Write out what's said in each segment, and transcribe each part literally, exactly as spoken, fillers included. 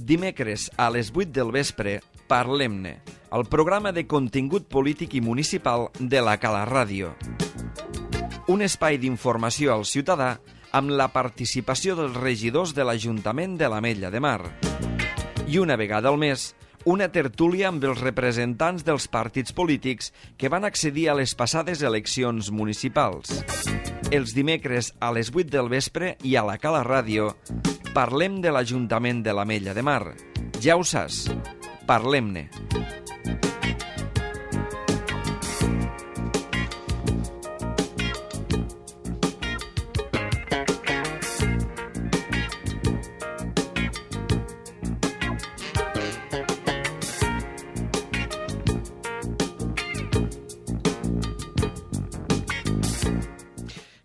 Dimecres a les vuit del vespre, Parlem-ne, el programa de contingut polític i municipal de la Cala Ràdio. Un espai d'informació al ciutadà amb la participació dels regidors de l'Ajuntament de l'Ametlla de Mar. I una vegada al mes, una tertúlia amb els representants dels partits polítics que van accedir a les passades eleccions municipals. Els dimecres a les vuit del vespre i a la Cala Ràdio parlem de l'Ajuntament de l'Ametlla de Mar. Ja ho saps, parlem-ne.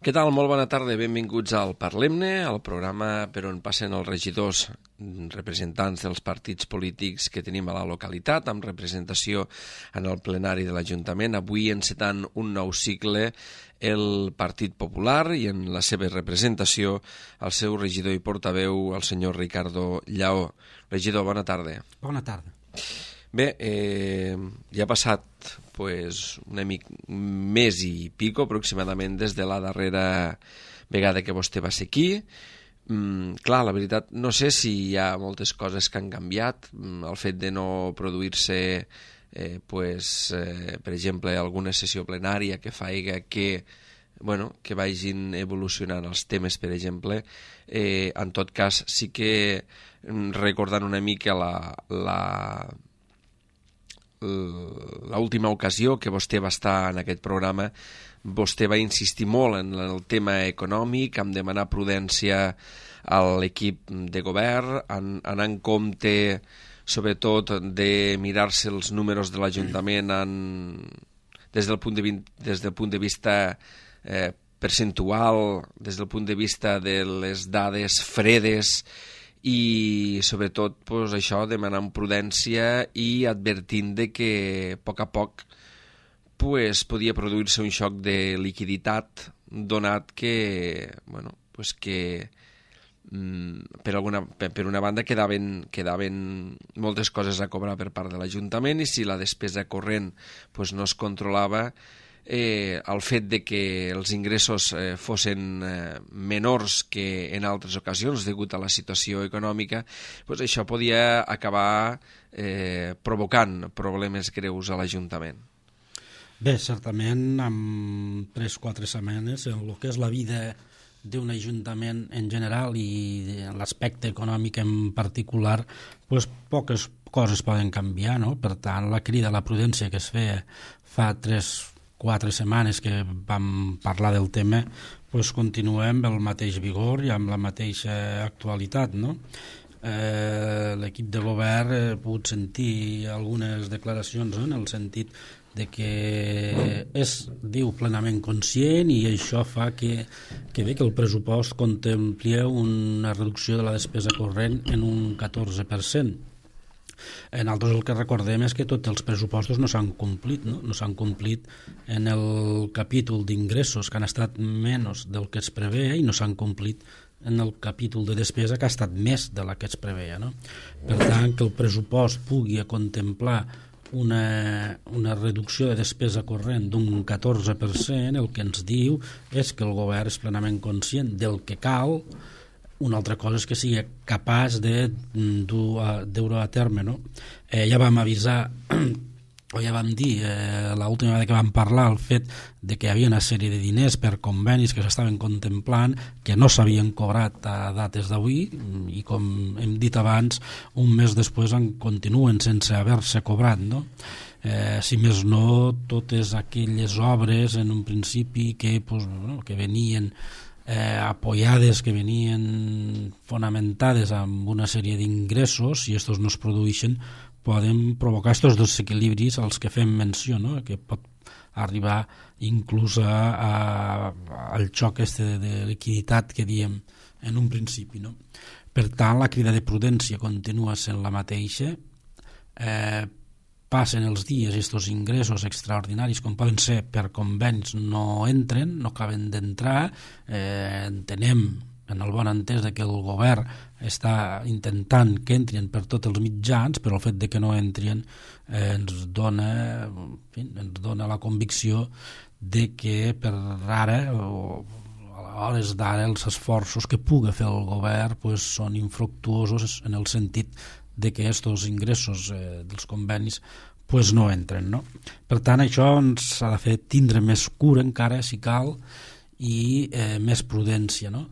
Què tal? Molt bona tarda, benvinguts al Parlem-ne, el programa per on passen els regidors, representants dels partits polítics que tenim a la localitat, amb representació en el plenari de l'Ajuntament. Avui encetant un nou cicle el Partit Popular i en la seva representació el seu regidor i portaveu, el senyor Ricardo Lleó. Regidor, bona tarda. Bona tarda. Bé, eh, ja ha passat pues, una mica més i pico aproximadament des de la darrera vegada que vostè va ser aquí. Mm, clar, la veritat, no sé si hi ha moltes coses que han canviat. Mm, el fet de no produir-se, eh, pues, eh, per exemple, alguna sessió plenària que faiga que, bueno, que vagin evolucionant els temes, per exemple. Eh, en tot cas, sí que recordant una mica la... la l'última ocasió que vostè va estar en aquest programa, vostè va insistir molt en el tema econòmic, en demanar prudència a l'equip de govern, en anar en compte sobretot de mirar-se els números de l'Ajuntament en, des del punt de, des del punt de vista eh, percentual, des del punt de vista de les dades fredes, i sobretot pues, això, demanant prudència i advertint de que a poc a poc pues, podia produir-se un xoc de liquiditat, donat que, bueno, pues que mm, per, alguna, per, per una banda quedaven, quedaven moltes coses a cobrar per part de l'Ajuntament, i si la despesa corrent pues, no es controlava, Eh, el fet de que els ingressos eh, fossin eh, menors que en altres ocasions degut a la situació econòmica, pues això podia acabar eh, provocant problemes greus a l'Ajuntament. Bé, certament, en tres o quatre setmanes, en el que és la vida d'un ajuntament en general i l'aspecte econòmic en particular, pues, poques coses poden canviar, no? Per tant, la crida a la prudència que es feia fa tres quatre setmanes que vam parlar del tema, doncs continuem amb el mateix vigor i amb la mateixa actualitat, no? Eh, l'equip de govern ha pogut sentir algunes declaracions, no? En el sentit de que és, diu, plenament conscient, i això fa que, que bé que el pressupost contemplia una reducció de la despesa corrent en un catorze per cent. Nosaltres el que recordem és que tots els pressupostos no s'han complit, no? No s'han complit en el capítol d'ingressos, que han estat menys del que es preveia, i no s'han complit en el capítol de despesa, que ha estat més de la que es preveia, no? Per tant, que el pressupost pugui contemplar una, una reducció de despesa corrent d'un catorze per cent, el que ens diu és que el govern és plenament conscient del que cal. Una altra cosa és que sigui capaç de dur a terme, no? Eh, ja vam avisar, o ja vam dir, eh, l'última vegada que vam parlar, el fet de que hi havia una sèrie de diners per convenis que s'estaven contemplant, que no s'havien cobrat a dates d'avui, i com hem dit abans, un mes després en continuen sense haver-se cobrat, no? Eh, si més no, totes aquelles obres en un principi que, pues, bueno, que venien Eh, apoyades, que venien fonamentades amb una sèrie d'ingressos, si estos no es produeixen, poden provocar estos desequilibris als que fem menció, no? Que pot arribar inclús a, a, al xoc este de liquiditat que diem en un principi, no? Per tant, la crida de prudència continua sent la mateixa. Eh, passen els dies i aquests ingressos extraordinaris, com poden ser per convenis, no entren, no acaben d'entrar. Eh, entenem en el bon entès de que el govern està intentant que entrin per tots els mitjans, però el fet de que no entrin eh, ens dona, en fi, ens dona la convicció de que per ara o a hores d'ara els esforços que pugui fer el govern pues, són infructuosos en el sentit de que aquests ingressos eh, dels convenis pues, no entren, no? Per tant, això ens ha de fer tindre més cura encara, si cal, i eh, més prudència, no?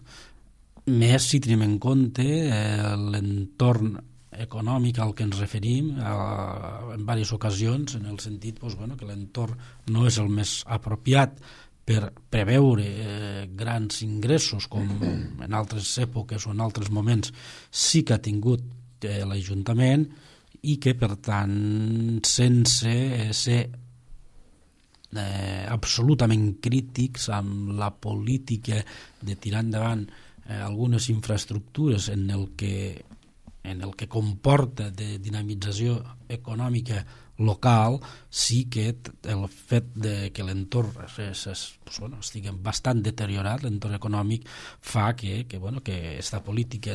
Més si tenim en compte eh, l'entorn econòmic al que ens referim eh, en diverses ocasions, en el sentit pues, bueno, que l'entorn no és el més apropiat per preveure eh, grans ingressos com en altres èpoques o en altres moments sí que ha tingut eh, l'Ajuntament, i que per tant sense eh, ser eh, absolutament crítics amb la política de tirar endavant Eh, algunes infraestructures en el que en el que comporta de dinamització econòmica local, sí que el fet de que l'entorn es, es, pues, bueno, estigui bastant deteriorat, l'entorn econòmic, fa que, que, bueno, que esta política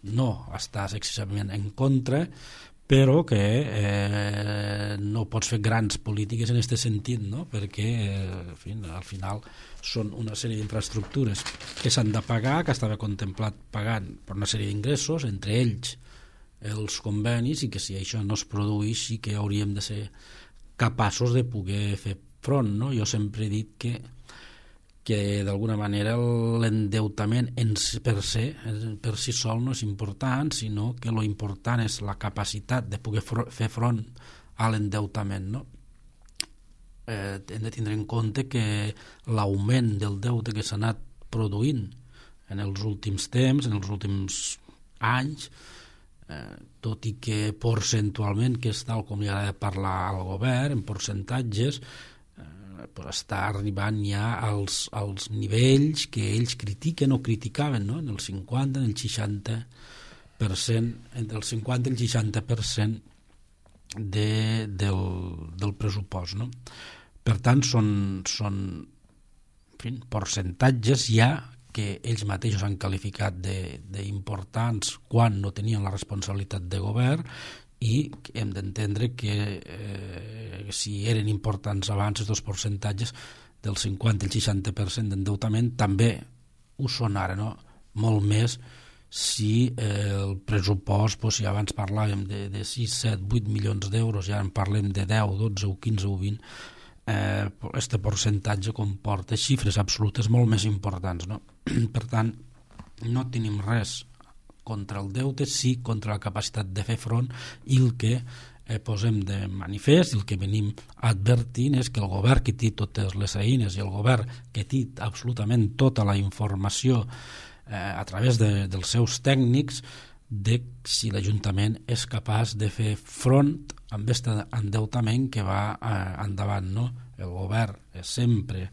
no està excessivament en contra, però que eh, no pots fer grans polítiques en aquest sentit, no? Perquè eh, en fi, al final són una sèrie d'infraestructures que s'han de pagar, que estava contemplat pagant per una sèrie d'ingressos, entre ells els convenis, i que si això no es produeix sí que hauríem de ser capaços de poder fer front, no? Jo sempre he dit que que d'alguna manera l'endeutament per si, per si sol no és important, sinó que lo important és la capacitat de poder fer front a l'endeutament, no? Eh, hem de tindre en compte que l'augment del deute que s'ha anat produint en els últims temps, en els últims anys, eh, tot i que percentualment, que és tal com li agrada parlar al govern, en percentatges, però està arribant ja als, als nivells que ells critiquen o criticaven, no? En el cinquanta, en el seixanta per cent, entre el cinquanta i el seixanta per cent de, del, del pressupost, no? Per tant, són, són en fi, percentatges ja que ells mateixos han qualificat d'importants quan no tenien la responsabilitat de govern, i hem d'entendre que eh, si eren importants abans els dos percentatges del cinquanta al seixanta per cent d'endeutament també ho són ara, no? Molt més si eh, el pressupost, doncs, si abans parlàvem de, de sis, set, vuit milions d'euros i ara en parlem de deu, dotze o quinze o vint, eh, este percentatge comporta xifres absolutes molt més importants, no? Per tant, no tenim res contra el deute, sí contra la capacitat de fer front, i el que eh, posem de manifest, el que venim advertint és que el govern que té totes les eines i el govern que té absolutament tota la informació eh, a través de, dels seus tècnics, de si l'Ajuntament és capaç de fer front amb aquest endeutament que va eh, endavant, no? El govern és sempre,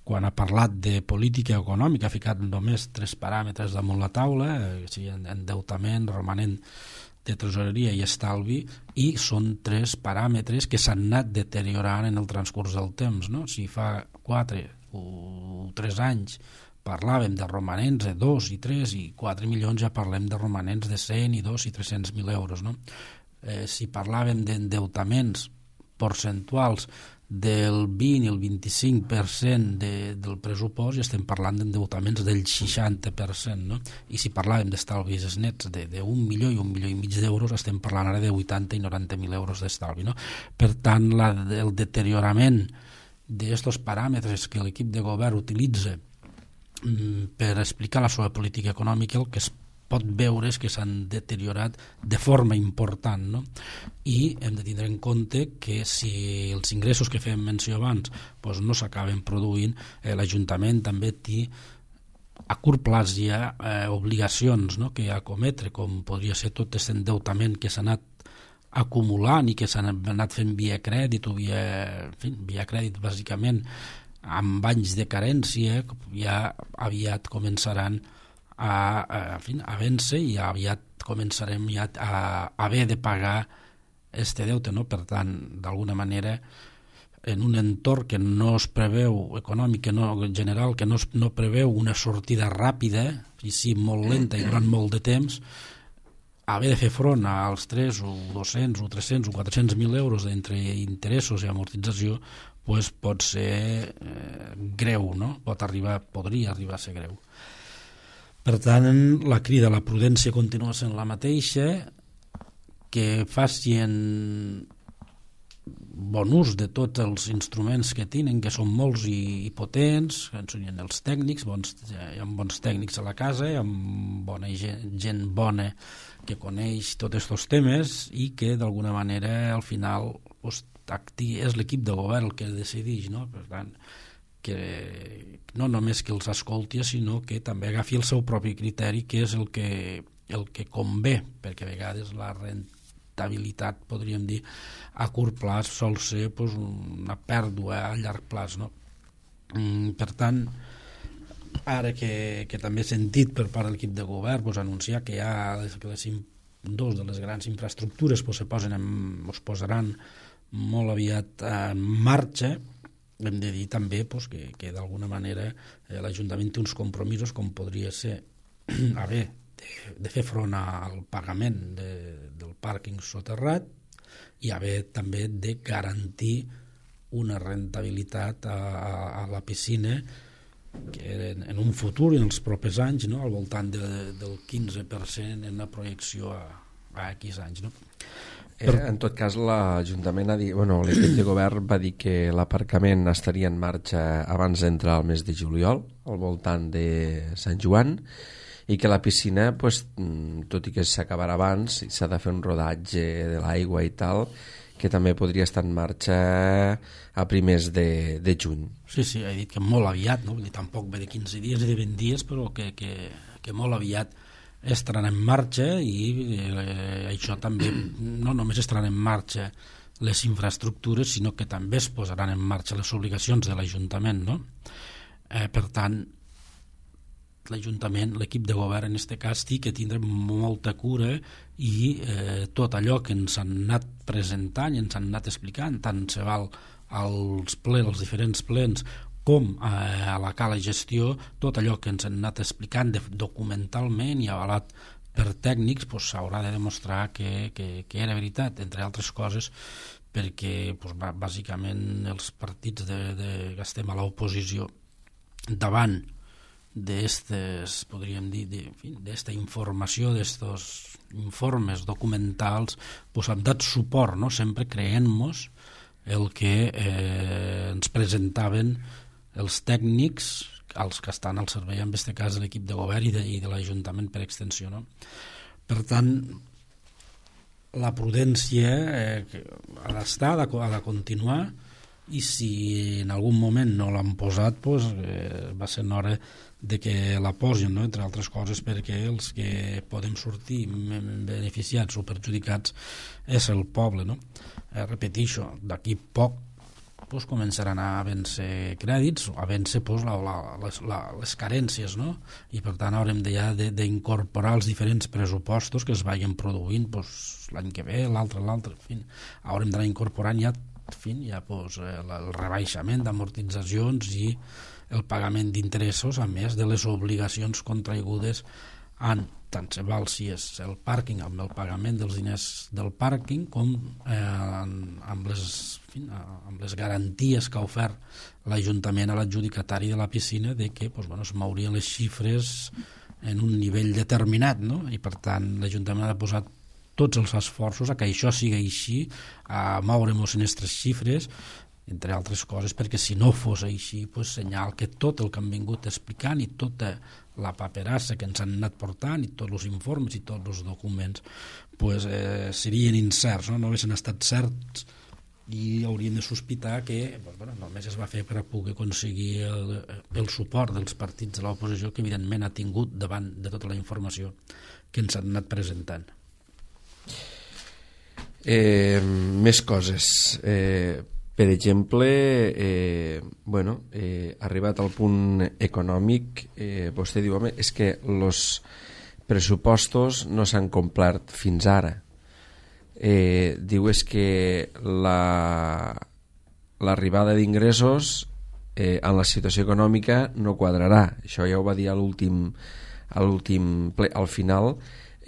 quan ha parlat de política econòmica, ha ficat només tres paràmetres damunt la taula, eh, sigui endeutament, romanent de tresoreria i estalvi, i són tres paràmetres que s'han anat deteriorant en el transcurs del temps, no? Si fa quatre o tres anys parlàvem de romanents de dos i tres i quatre milions, ja parlem de romanents de cent i dos i tres-cents mil euros, no? Eh, si parlàvem d'endeutaments percentuals del vint i el vint-i-cinc per cent de, del pressupost, i estem parlant d'endeutaments del seixanta per cent, no? I si parlàvem d'estalvis nets d'un milió i un milió i mig d'euros, estem parlant ara de vuitanta i noranta mil euros d'estalvi, no? Per tant, la, el deteriorament d'aquests paràmetres que l'equip de govern utilitza mm, per explicar la seva política econòmica, el que es pot veure és que s'han deteriorat de forma important, no? I hem de tindre en compte que si els ingressos que fèiem menció abans doncs no s'acaben produint, eh, l'Ajuntament també té a curt plaç hi ha eh, obligacions, no?, que acometre, com podria ser tot aquest endeutament que s'ha anat acumulant i que s'han anat fent via crèdit o via, en fi, via crèdit bàsicament amb anys de carència, ja aviat començaran a, a, en fi, a vèncer i aviat començarem ja a, a haver de pagar este deute, no? Per tant, d'alguna manera en un entorn que no es preveu, econòmic, que no, en general, que no, es, no preveu una sortida ràpida, i sí molt lenta i durant molt de temps, haver de fer front als tres o dos-cents o tres-cents o quatre-cents mil euros d'entre interessos i amortització, pues pot ser eh, greu, no? Pot arribar, podria arribar a ser greu. Per tant, la crida a la prudència continua sent la mateixa, que facin bon ús de tots els instruments que tenen, que són molts i, i potents, que ens unien els tècnics, bons, hi ha bons tècnics a la casa, hi ha bona gent, gent bona que coneix tots aquests temes i que d'alguna manera al final pues, és l'equip de govern el que decideix, no? Per tant, que no només que els escolti, sinó que també agafi el seu propi criteri, que és el que, el que convé, perquè a vegades la rentabilitat, podríem dir, a curt plaç sol ser pues, una pèrdua a llarg plaç, no? Mm, per tant, ara que, que també he sentit per part de l'equip de govern pues, anunciar que ja les, que les dos de les grans infraestructures pues, se posen en, es posaran molt aviat en marxa, hem de dir també pues, que, que d'alguna manera eh, l'Ajuntament té uns compromisos com podria ser haver de, de fer front al pagament de, del pàrquing soterrat i haver també de garantir una rentabilitat a, a, a la piscina que en, en un futur i en els propers anys, no, al voltant de, del quinze per cent en una projecció a, a X anys, no? Eh, en tot cas, l'Ajuntament ha dit, bueno, l'equip de govern va dir que l'aparcament estaria en marxa abans d'entrar al mes de juliol, al voltant de Sant Joan, i que la piscina, pues, tot i que s'acabarà abans, s'ha de fer un rodatge de l'aigua i tal, que també podria estar en marxa a primers de, de juny. Sí, sí, he dit que molt aviat, no? Vull dir, tampoc ve de quinze dies i de vint dies, però que, que, que molt aviat estaran en marxa i eh, això també no només estaran en marxa les infraestructures, sinó que també es posaran en marxa les obligacions de l'Ajuntament, no? Eh, per tant, l'Ajuntament, l'equip de govern en aquest cas, sí que tindrà molta cura i eh, tot allò que ens han anat presentant i ens han anat explicant, tant se val als plens, als diferents plens, com a la cala gestió, tot allò que ens han anat explicant de, documentalment i avalat per tècnics, pues, s'haurà de demostrar que, que, que era veritat, entre altres coses, perquè pues, bàsicament els partits de, de, que estem a l'oposició davant d'estes, podríem dir, d'esta informació, d'estos informes documentals, pues, han dat suport, no? Sempre creent-nos el que eh, ens presentaven els tècnics, els que estan al servei, en aquest cas de l'equip de govern i de, i de l'Ajuntament per extensió, no? Per tant, la prudència eh, ha d'estar, ha de, ha de continuar, i si en algun moment no l'han posat, pues, eh, va ser hora de que la posin, no? Entre altres coses perquè els que podem sortir beneficiats o perjudicats és el poble, no? Eh, repeteixo, d'aquí poc pues, començaran a vèncer crèdits, a vèncer pues, la, la, les, la, les carències, no? I per tant haurem de, ja d'incorporar els diferents pressupostos que es vagin produint pues, l'any que ve, l'altre, l'altre, en fi, haurem d'anar incorporant ja, en fi, ja pues, el, el rebaixament d'amortitzacions i el pagament d'interessos, a més de les obligacions contraigudes en tant se val si és el pàrquing amb el pagament dels diners del pàrquing com eh, amb, les, en fi, amb les garanties que ha ofert l'Ajuntament a l'adjudicatari de la piscina de que pues, bueno, es mourien les xifres en un nivell determinat, no? I per tant l'Ajuntament ha de posar tots els esforços a que això sigui així, a moure-nos en aquestes xifres, entre altres coses, perquè si no fos així, pues, senyal que tot el que han vingut explicant i tota la paperassa que ens han anat portant i tots els informes i tots els documents pues, eh, serien incerts, no? No haguessin estat certs i hauríem de sospitar que pues, bueno, només es va fer per a poder aconseguir el, el suport dels partits de l'oposició que evidentment ha tingut davant de tota la informació que ens han anat presentant. Eh, més coses. Eh, per exemple, eh, bueno, eh, arribat al punt econòmic, eh, vostè diu, home, és que els pressupostos no s'han complert fins ara. Eh, diu és que la, l'arribada d'ingressos eh, en la situació econòmica no quadrarà. Això ja ho va dir a l'últim a l'últim ple, al final.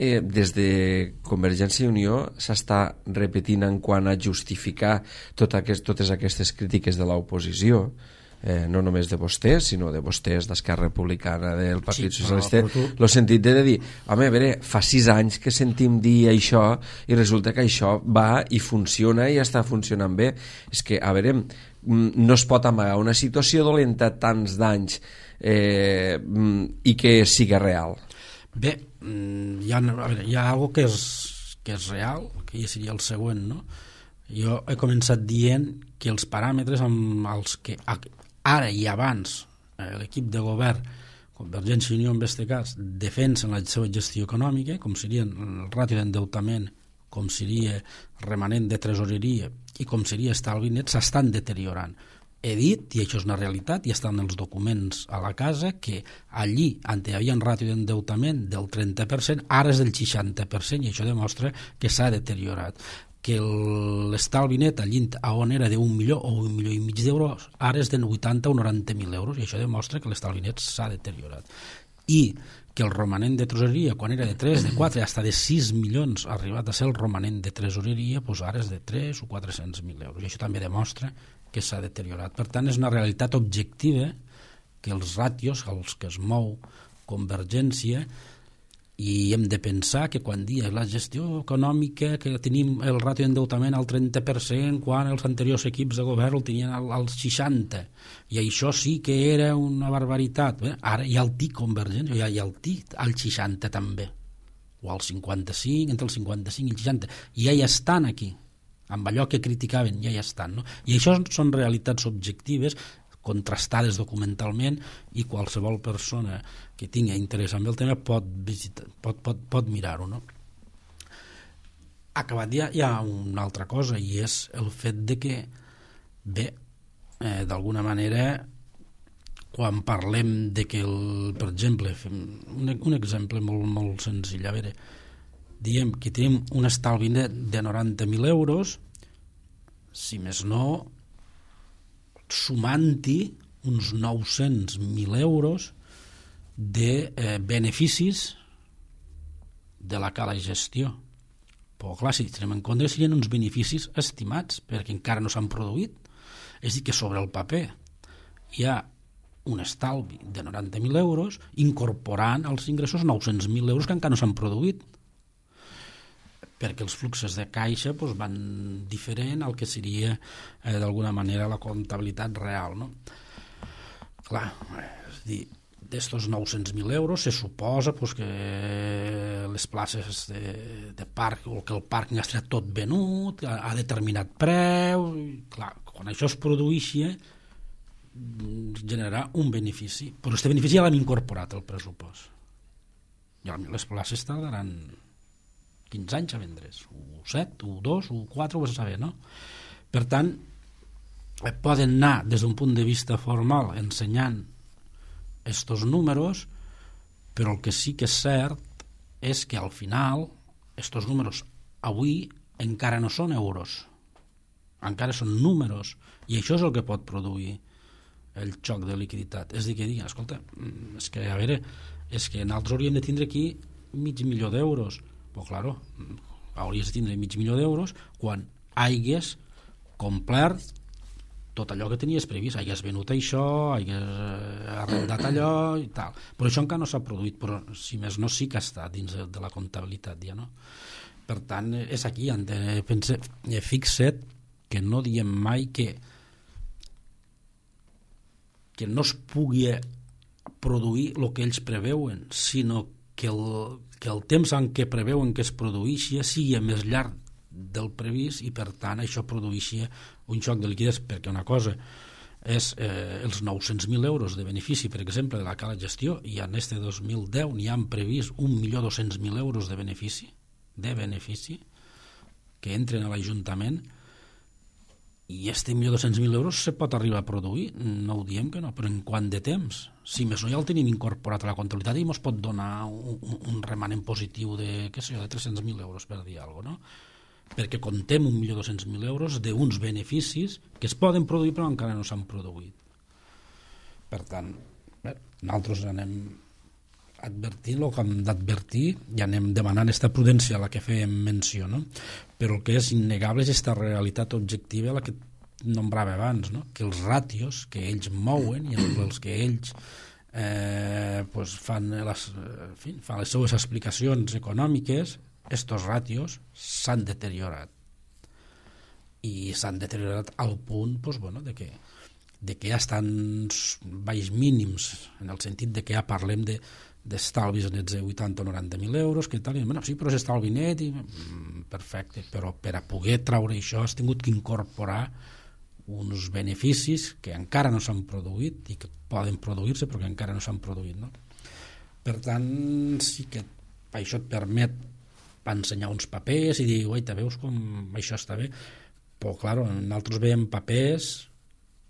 Eh, des de Convergència i Unió s'està repetint en quant a justificar tot aquest, totes aquestes crítiques de l'oposició, eh, no només de vostès, sinó de vostès, d'Esquerra Republicana, del Partit sí, Socialista, el tu... sentit de dir, home, a veure, fa sis anys que sentim dir això i resulta que això va i funciona i està funcionant bé. És que, a veure, no es pot amagar una situació dolenta tants d'anys eh, i que siga real. Bé, hi ha, a veure, hi ha algo que és, que és real, que ja seria el següent, no? Jo he començat dient que els paràmetres amb els que ara i abans eh, l'equip de govern, Convergència i Unió en aquest cas, defensen la seva gestió econòmica, com seria el ràtio d'endeutament, com seria remanent de tresoreria i com seria estalvi net, s'estan deteriorant. He dit, i això és una realitat, i estan els documents a la casa, que allí on hi havia un ràtio d'endeutament del trenta per cent, ara és del seixanta per cent, i això demostra que s'ha deteriorat. Que l'estalvi net allí on era d'un milió o un milió i mig d'euros, ara és de vuitanta o noranta mil euros, i això demostra que l'estalvi net s'ha deteriorat. I que el romanent de tresoreria, quan era de tres, de quatre, fins de sis milions, ha arribat a ser el romanent de tresoreria, doncs ara és de tres o quatre-cents mil euros, i això també demostra que s'ha deteriorat. Per tant, és una realitat objectiva que els ràtios als que es mou Convergència, i hem de pensar que quan dia la gestió econòmica, que tenim el ràtio d'endeutament al trenta per cent, quan els anteriors equips de govern el tenien al, al seixanta per cent, i això sí que era una barbaritat. Bé, ara hi ha el T I C Convergència, hi ha, hi ha el T I C al seixanta també, o al cinquanta-cinc, entre el cinquanta-cinc i el seixanta, i ja hi estan aquí, amb allò que criticaven, ja hi estan, no? I això són realitats objectives, contrastades documentalment, i qualsevol persona que tingui interès en el tema pot, visitar, pot, pot, pot mirar-ho, no? Acabat ja hi ha una altra cosa, i és el fet de que, bé, eh, d'alguna manera, quan parlem de que, el, per exemple, un, un exemple molt, molt senzill, a veure, diem que tenim un estalvi net de noranta mil euros, si més no, sumant-hi uns nou-cents mil euros de eh, beneficis de la cala gestió. Però clar, si tenim en compte, serien uns beneficis estimats, perquè encara no s'han produït. És a dir, que sobre el paper hi ha un estalvi de noranta mil euros incorporant als ingressos nou-cents mil euros que encara no s'han produït, perquè els fluxos de caixa doncs, van diferent al que seria eh, d'alguna manera la comptabilitat real, no? Clar, és a dir, d'estos nou-cents mil euros se suposa pues, que les places de, de parc, o que el parc ja estarà tot venut a, a determinat preu, clar, quan això es produeixi generarà un benefici, però aquest benefici ja l'hem incorporat al pressupost, i les places tardaran quinze anys a vendre's, o set, o dos, o quatre, ho vas a saber, no? Per tant, poden anar des d'un punt de vista formal ensenyant estos números, però el que sí que és cert és que al final estos números avui encara no són euros, encara són números, i això és el que pot produir el xoc de liquiditat. És a dir, que diguin, escolta, és que a veure, és que nosaltres hauríem de tindre aquí mig milió d'euros. Però, claro, hauries de tindre mig milió d'euros quan hagués complert tot allò que tenies previst, hagués venut això, hagués arrendat allò i tal. Però això encara no s'ha produït, però si més no sí que està dins de la comptabilitat ja, no? Per tant, és aquí on pense, fixa't que no diem mai que que no es pugui produir el que ells preveuen, sinó que el que el temps en què preveuen que es produeixi sigui més llarg del previst i per tant això produeixi un xoc de liquiditat, perquè una cosa és eh, els nou-cents mil euros de benefici, per exemple, de la cala gestió, i en este dos mil deu n'hi han previst un milió dos-cents mil euros de benefici de benefici que entren a l'Ajuntament, i este milió dos-cents mil euros se pot arribar a produir, no ho diem que no, però en quant de temps? Si més no ja el tenim incorporat a la comptabilitat i ens pot donar un, un remanent positiu de, què sé jo, de tres-cents mil euros, per dir alguna cosa, no? perquè contem un milió dos-cents mil euros d'uns beneficis que es poden produir però encara no s'han produït. Per tant, bé, nosaltres anem advertint el que hem d'advertir i anem demanant aquesta prudència a la que fèiem menció, no? Però el que és innegable és aquesta realitat objectiva a la que nombrava abans, no? Que els ràtios que ells mouen i els que ells eh, pues fan, les, en fi, fan les seues explicacions econòmiques, estos ràtios s'han deteriorat i s'han deteriorat al punt pues, bueno, de que de que ja estan baix mínims en el sentit de que ja parlem de d'estalvis nets de vuitanta o noranta mil euros, que tal, i, bueno, sí, però és estalvi net i, mm, perfecte, però per a poder traure això has tingut que incorporar uns beneficis que encara no s'han produït i que poden produir-se però que encara no s'han produït, no? Per tant, sí que això et permet ensenyar uns papers i dir, oita, veus com això està bé? Però, clar, nosaltres veiem papers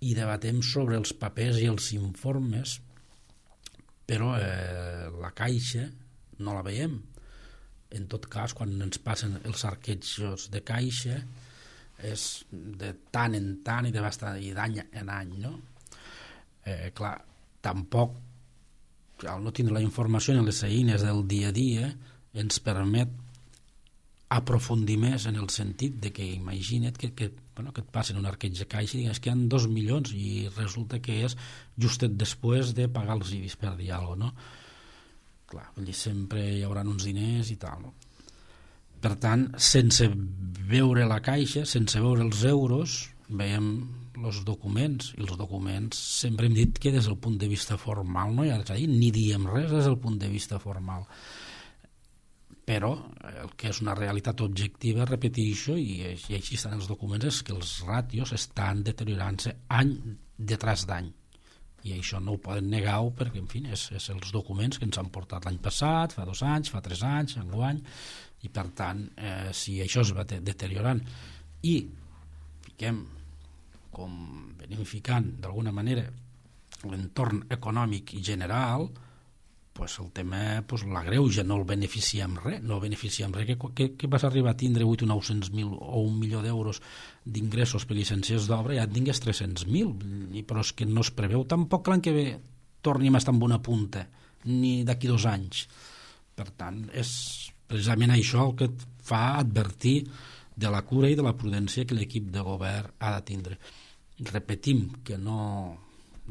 i debatem sobre els papers i els informes, però eh, la caixa no la veiem. En tot cas, quan ens passen els arquetjos de caixa és de tant en tant i de bastant, i d'any en any, no? Eh, clar, tampoc al no tindre la informació en les eines del dia a dia ens permet aprofundir més en el sentit de que imagina't que, que, bueno, que et passen un arqueig de caixa i digues que hi ha dos milions i resulta que és justet després de pagar els I B I S, per dir alguna cosa, no? Clar, vull dir, sempre hi haurà uns diners i tal, no? Per tant, sense veure la caixa, sense veure els euros, veiem els documents, i els documents sempre hem dit que des del punt de vista formal no hi ha res a dir, ni diem res des del punt de vista formal. Però el que és una realitat objectiva, repeteixo, i, i així estan els documents, és que els ràtios estan deteriorant-se any detrás d'any. I això no ho poden negar perquè, en fi, és, és els documents que ens han portat l'any passat, fa dos anys, fa tres anys, enguany, i per tant, eh, si això es va deteriorant i fiquem, com venim ficant d'alguna manera, l'entorn econòmic i general, pues el tema pues, l'agreuja, no el beneficia amb res, no el beneficia amb res, que, que, que vas arribar a tindre vuit o nou-cents mil o un milió d'euros d'ingressos per llicències d'obra, ja et tingués tres-cents mil, però és que no es preveu tampoc l'any que ve tornim a estar amb una punta, ni d'aquí dos anys. Per tant, és precisament això el que et fa advertir de la cura i de la prudència que l'equip de govern ha de tindre. Repetim que no...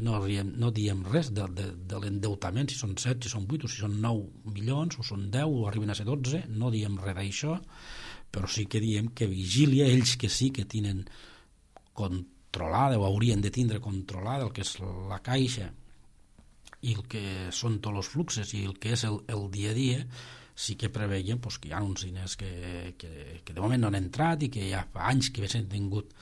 No, riem, no diem res de, de, de l'endeutament, si són set, si són vuit, o si són nou milions, o són deu, o arriben a ser dotze, no diem res d'això, però sí que diem que vigília, ells que sí que tenen controlada, o haurien de tindre controlada el que és la caixa i el que són tots els fluxes i el que és el, el dia a dia, sí que preveien pues, que hi ha uns diners que, que, que de moment no han entrat i que ja fa anys que s'han tingut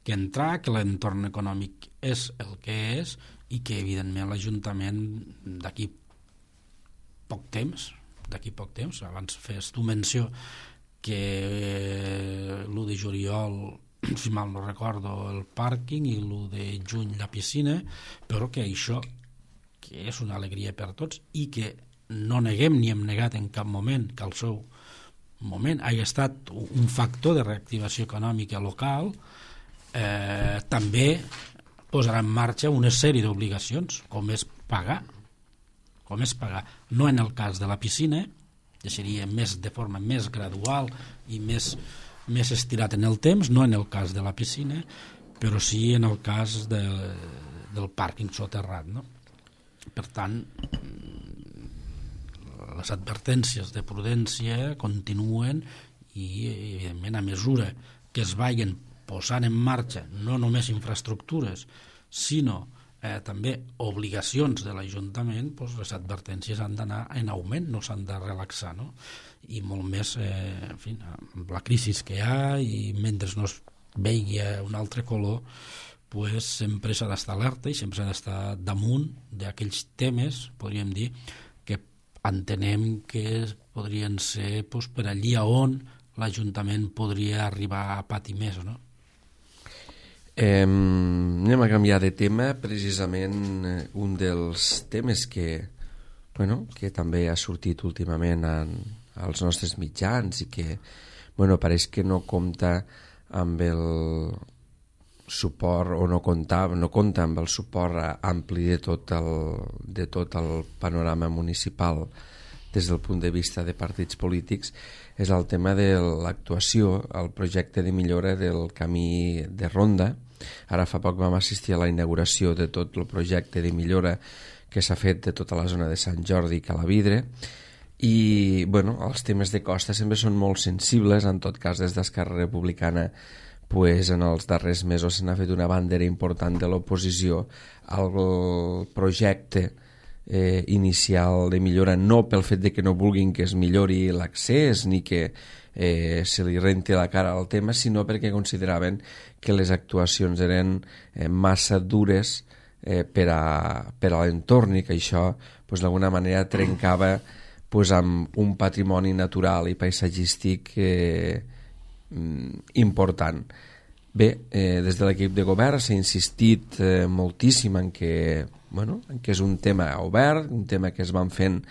que entrar, que l'entorn econòmic és el que és i que evidentment l'Ajuntament d'aquí poc temps d'aquí poc temps, abans fes tu menció que l'u de juliol, si mal no recordo, el pàrquing i l'u de juny la piscina, però que això que és una alegria per tots i que no neguem ni hem negat en cap moment que al seu moment hagi estat un factor de reactivació econòmica local, eh, també posarà en marxa una sèrie d'obligacions, com és pagar, com és pagar. No en el cas de la piscina, que seria més de forma més gradual i més, més estirat en el temps, no en el cas de la piscina, però sí en el cas de, del pàrquing soterrat, no? Per tant, les advertències de prudència continuen i, evidentment, a mesura que es vagin posant en marxa no només infraestructures, sinó eh, també obligacions de l'Ajuntament, doncs les advertències han d'anar en augment, no s'han de relaxar, no? I molt més, eh, en fi, amb la crisi que hi ha i mentre no es vegi un altre color, pues, sempre s'ha d'estar alerta i sempre s'ha d'estar damunt d'aquells temes, podríem dir, que entenem que podrien ser pues, per allí on l'Ajuntament podria arribar a patir més, no? Eh, anem a canviar de tema. Precisament un dels temes que, bueno, que també ha sortit últimament en, als nostres mitjans i que bueno, pareix que no compta amb el suport o no compta, no compta amb el suport ampli de tot el, de tot el panorama municipal des del punt de vista de partits polítics, és el tema de l'actuació, el projecte de millora del camí de ronda. Ara fa poc vam assistir a la inauguració de tot el projecte de millora que s'ha fet de tota la zona de Sant Jordi i Calavidre, i bueno, els temes de costa sempre són molt sensibles. En tot cas, des d'Esquerra Republicana, pues, en els darrers mesos se n'ha fet una bandera important de l'oposició al projecte eh, inicial de millora, no pel fet de que no vulguin que es millori l'accés ni que eh, se li renti la cara al tema, sinó perquè consideraven que les actuacions eren eh, massa dures eh, per a, per a l'entorn, i que això pues, d'alguna manera trencava pues, amb un patrimoni natural i paisatgístic eh, important. Bé, eh, des de l'equip de govern s'ha insistit eh, moltíssim en que, bueno, en que és un tema obert, un tema que es van fent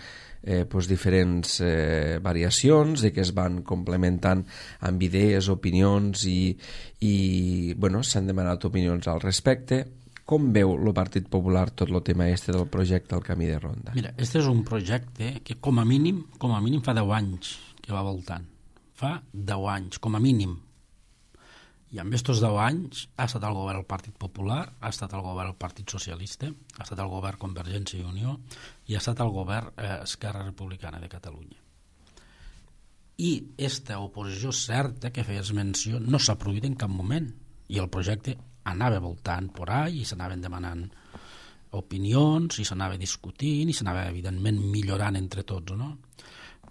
eh, pues, diferents eh, variacions, de que es van complementant amb idees, opinions, i, i bueno, s'han demanat opinions al respecte. Com veu el Partit Popular tot el tema este del projecte al Camí de Ronda? Mira, este és un projecte que com a mínim, com a mínim fa deu anys que va voltant. Fa deu anys, com a mínim. I amb aquests deu anys ha estat el govern el Partit Popular, ha estat el govern el Partit Socialista, ha estat el govern Convergència i Unió i ha estat el govern eh, Esquerra Republicana de Catalunya. I aquesta oposició certa que feies menció no s'ha produït en cap moment, i el projecte anava voltant por ahí i s'anaven demanant opinions i s'anava discutint i s'anava evidentment millorant entre tots, no?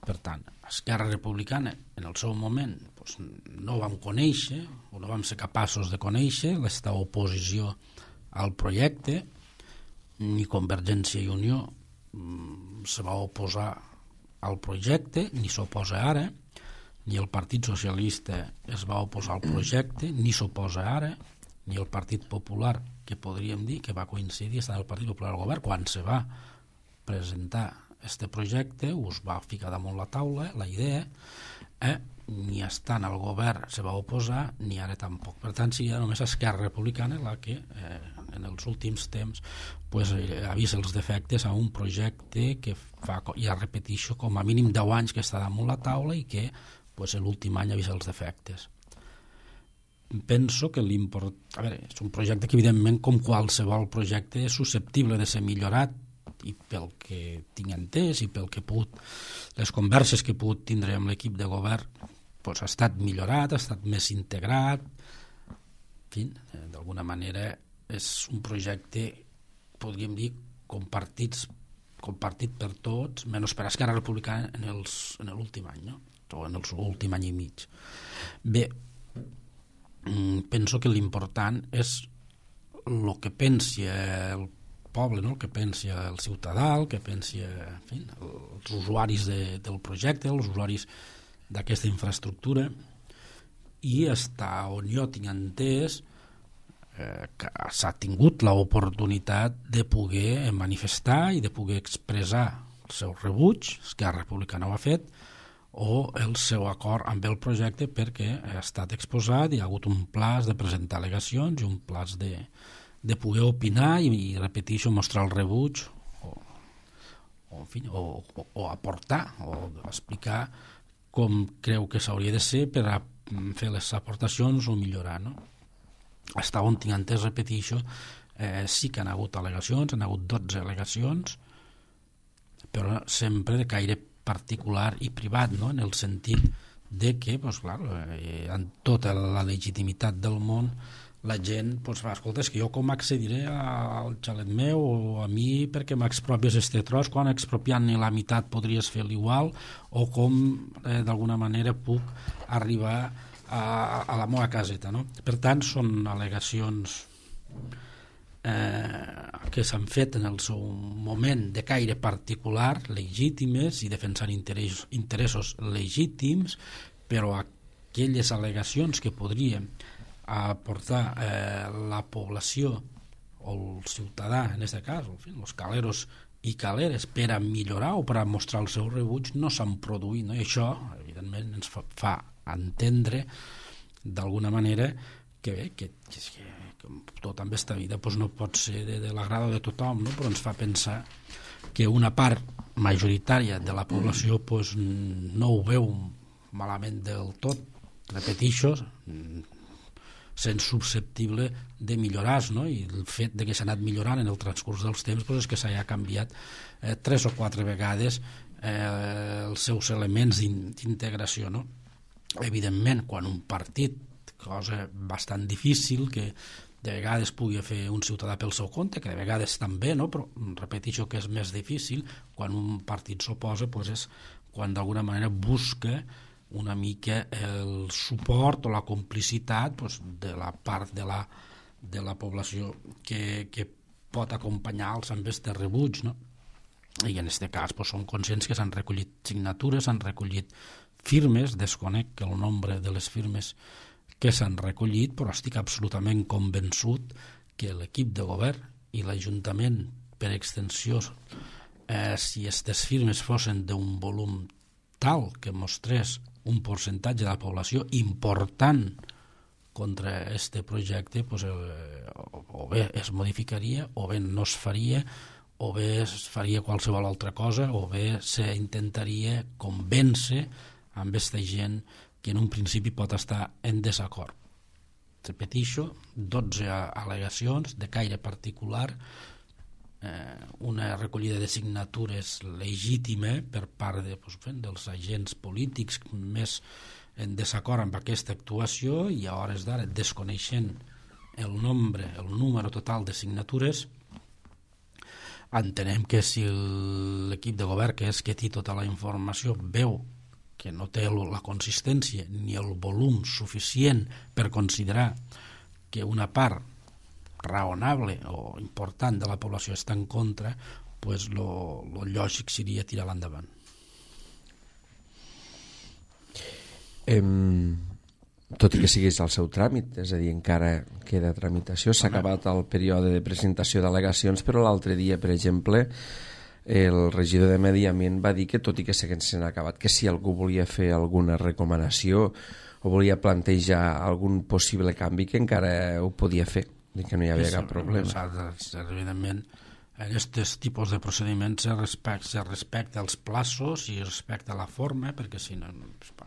Per tant, Esquerra Republicana en el seu moment doncs, no vam conèixer o no vam ser capaços de conèixer aquesta oposició al projecte, ni Convergència i Unió mm, se va oposar al projecte, ni s'oposa ara, ni el Partit Socialista es va oposar al projecte, ni s'oposa ara, ni el Partit Popular, que podríem dir que va coincidir estar el Partit Popular al govern quan se va presentar este projecte, us va ficar damunt la taula la idea, eh? Ni estant al govern se va oposar, ni ara tampoc. Per tant, sí, només Esquerra Republicana la que eh, en els últims temps pues, eh, ha vist els defectes a un projecte que fa, ja repetixo, com a mínim deu anys que està damunt la taula i que pues, l'últim any ha vist els defectes. Penso que l'import... A veure, és un projecte que evidentment com qualsevol projecte és susceptible de ser millorat, i pel que tinc entès i pel que he pogut, les converses que he pogut tindre amb l'equip de govern doncs ha estat millorat, ha estat més integrat, en fi, d'alguna manera és un projecte, podríem dir, compartits, compartit per tots, menys per Esquerra Republicana en els, en l'últim any, no? O en l'últim any i mig. Bé, penso que l'important és el que pensi el poble, no? El que pensi el ciutadà, el que pensi en fi, els usuaris de, del projecte, els usuaris d'aquesta infraestructura, i està on jo tinc entès eh, que s'ha tingut l'oportunitat de poder manifestar i de poder expressar el seu rebuig, Esquerra Republicana ho ha fet, o el seu acord amb el projecte perquè ha estat exposat, hi ha hagut un plaç de presentar al·legacions i un plaç de de poder opinar i, i repeteixo, mostrar el rebuig o, o, en fi, o, o, o aportar o explicar com creu que s'hauria de ser per a fer les aportacions o millorar, no? Hasta on tinc entès, repeteixo, eh, sí que han hagut al·legacions, han hagut dotze al·legacions, però sempre de caire particular i privat, no? En el sentit de que, pues, clar, eh, amb tota la legitimitat del món, la gent pues, va, escolta, és que jo com accediré al xalet meu o a mi perquè m'expropies este tros, quan expropiant-ne la meitat podries fer l'igual, o com eh, d'alguna manera puc arribar a, a la meva caseta, no? Per tant, són al·legacions eh, que s'han fet en el seu moment de caire particular, legítimes i defensant interessos, interessos legítims, però aquelles al·legacions que podrien aportar eh, la població o el ciutadà, en aquest cas, en fi, els caleros i caleres, per a millorar o per a mostrar el seu rebuig, no s'han produït, no? I això, evidentment, ens fa, fa entendre d'alguna manera que bé, que, que, que, que tot en aquesta vida pues, no pot ser de, de l'agrado de tothom, no? Però ens fa pensar que una part majoritària de la població pues, no ho veu malament del tot, repetixo, sent susceptible de millorar, no? I el fet de que s'ha anat millorant en el transcurs dels temps pues, és que s'ha canviat eh, tres o quatre vegades eh, els seus elements d'integració, no? Evidentment, quan un partit, cosa bastant difícil, que de vegades pugui fer un ciutadà pel seu compte, que de vegades també, no? Però repeteixo que és més difícil, quan un partit s'oposa pues és quan d'alguna manera busca una mica el suport o la complicitat pues, de la part de la, de la població que, que pot acompanyar-los amb este rebuig, no? I en aquest cas pues, som conscients que s'han recollit signatures, s'han recollit firmes, desconec el nombre de les firmes que s'han recollit, però estic absolutament convençut que l'equip de govern i l'Ajuntament, per extensió, eh, si aquestes firmes fossin d'un volum tal que mostrés un percentatge de la població important contra aquest projecte, pues, eh, o bé es modificaria, o bé no es faria, o bé es faria qualsevol altra cosa, o bé s'intentaria convèncer amb aquesta gent que en un principi pot estar en desacord. Repetixo, dotze al·legacions de caire particular, eh, una recollida de signatures legítima per part de, doncs, dels agents polítics més en desacord amb aquesta actuació, i a hores d'ara, desconeixent el nombre, el número total de signatures, entenem que si l'equip de govern, que és que té tota la informació, veu que no té la consistència ni el volum suficient per considerar que una part raonable o important de la població està en contra, pues lo, lo lògic seria tirar l'endavant. Em, tot i que siguis al seu tràmit, és a dir, encara queda tramitació, s'ha acabat el període de presentació d'al·legacions, però l'altre dia, per exemple, el regidor de Medi Ambient va dir que tot i que s'han acabat, que si algú volia fer alguna recomanació o volia plantejar algun possible canvi, que encara ho podia fer, i que no hi havia cap problema. Evidentment, en aquests tipus de procediments se respecta, se respecta els plaços i respecta la forma, perquè si no,